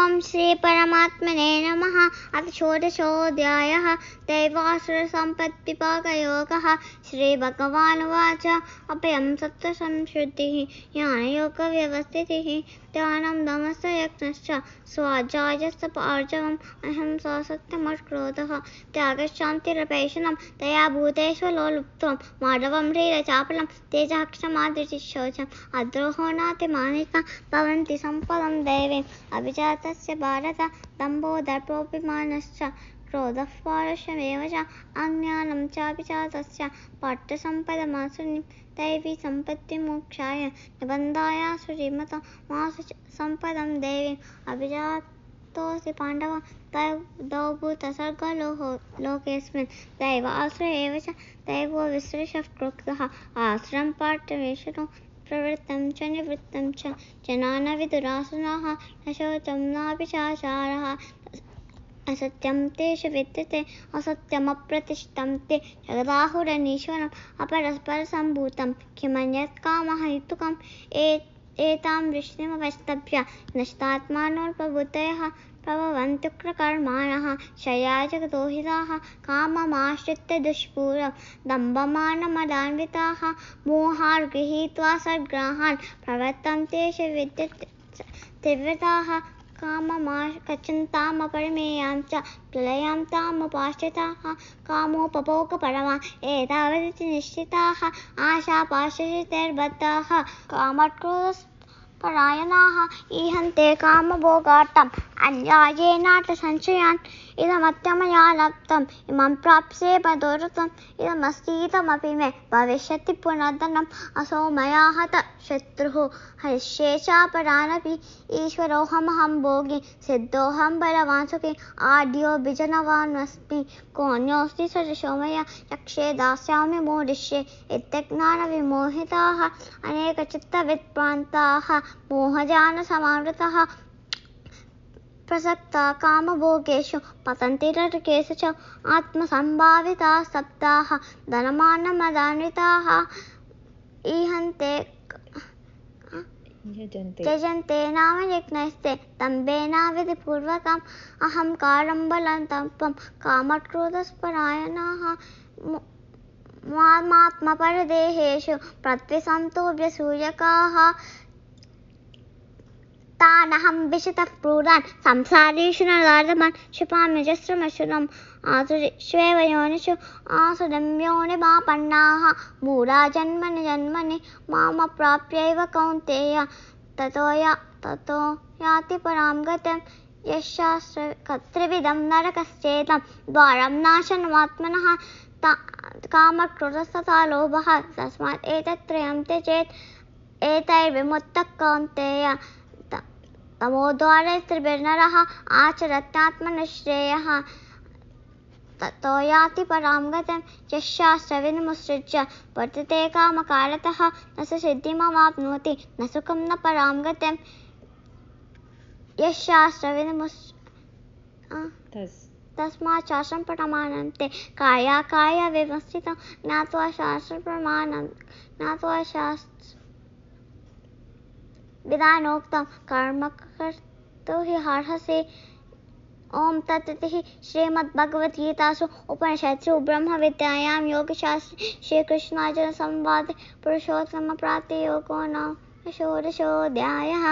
ओम श्री परमात्मने नमः। अथ षोडशोऽध्यायः। दैवासुरसम्पद्विभागयोगः। श्रीभगवानुवाच अभयं सत्त्वसंशुद्धिः ज्ञानयोगव्यवस्थितिः ध्यानं दमश्च यज्ञश्च स्वाध्यायस्तपार्जवम् अहिंसा सत्यमक्रोधः त्यागश्शान्तिरपैशुनं दया भूतेषु लोलुप्त्वं माधवं ह्रीरचापलं तेजः क्षमा धृतिः शौचम् अद्रोहो नातिमानिका भवन्ति सम्पदं दैवीम् अभिजातस्य भारत दम्भो दर्पोऽभिमानश्च क्रोधः पारुष्यमेव च अज्ञानं चाभिजातस्य पार्थसम्पदमासुरीं दैवी सम्पत्तिमोक्षाय निबन्धाय सुरीमता मासु सम्पदं दैवीम् अभिजातोऽसि पाण्डव द्वौ भूतसर्गलोकेऽस्मिन् दैव आश्रय एव च दैवो विसृषः क्रुद्धः आश्रयं पार्थवेषणो प्रवृत्तं च निवृत्तं च जना न विदुरासुराः न शौचं नाभिचाचारः असत्यं तेषु विद्यते असत्यमप्रतिष्ठं ते जगदाहुरनीश्वरम् अपरस्परसम्भूतं किमन्यत् कामः हेतुकम् एतां वृष्टिमवस्तभ्य नष्टात्मानोऽल्पबुद्धयः प्रभवन्त्युग्रकर्माणः क्षयाय जगदोहिताः काममाश्रित्य दुष्पूरं दम्भमानमदान्विताः मोहार्गृहीत्वा सद्ग्राहान् प्रवर्तन्ते तीव्रताः काममागच्छन्तामपरिमेयां च प्रलयां तामुपाश्रिताः कामोपभोगपरमा एतावदिति निश्चिताः आशापाशशतैर्बद्धाः कामक्रोधपरायणाः ईहन्ते कामभोगार्थम् अन्यायेनार्थसंशयान् इदमत्यमया लब्धम् इमं प्राप्स्ये मनोरथम् इदमस्तीदमपि मे भविष्यति पुनर्धनम् असौ मया हतः शत्रुः हरिष्ये चापरानपि ईश्वरोऽहमहं भोगी सिद्धोऽहं बलवान् सुखी आढ्यो विजनवानस्मि कोऽन्योऽस्ति सदृशो मया यक्षे दास्यामि मोदिष्ये इत्यज्ञानविमोहिताः अनेकचित्तविभ्रान्ताः मोहजालसमावृताः प्रसक्ता कामभोगेषु पतन्ति नरकेषु च आत्मसम्भाविताः सप्ताः धनमानमदान्विताः ईहन्ते त्यजन्ते नाम यज्ञैस्ते दम्भेनाविधिपूर्वकम् अहङ्कारं बलं तपं कामक्रोधपरायणाः मात्मपरदेहेषु प्रद्विषन्तोऽभ्यसूयकाः तानहं विशतः क्रूरान् संसारेषु नराधमान् क्षिपाम्यजस्रमसुरम् आसुरीष्वेव योनिषु आसुरीं योनिमापन्नाः मूढा जन्मनि जन्मनि मामप्राप्यैव कौन्तेय ततो याति परां गतिं यशास्त्रकर्तृविदं नरकस्येदं द्वारं नाशनमात्मनः कामक्रोधस्तथा लोभः तस्मात् एतत्त्रयं त्यजेत् एतैर्विमुक्तः कौन्तेय तमोद्वारैस्त्रिभिर्नरः आचरत्यात्मनश्रेयः ततो याति परां गतिं यशास्त्रविधिमुत्सृज्य वर्तते कामकारतः न स सिद्धिमवाप्नोति न सुखं न परां गतिं तस्मात् शास्त्रं प्रमाणन्ते कायाकायव्यवस्थितं ज्ञात्वा शास्त्रप्रमाणं ज्ञात्वा विधानोक्तं कर्म कर्तुं हि अर्हसि। ओम तत्सदिति श्रीमद्भगवद्गीतासु उपनिषत्सु ब्रह्मविद्यायां योगशास्त्रे श्रीकृष्णार्जुनसंवादे पुरुषोत्तमप्राप्तियोगो नाम षोडशोऽध्यायः।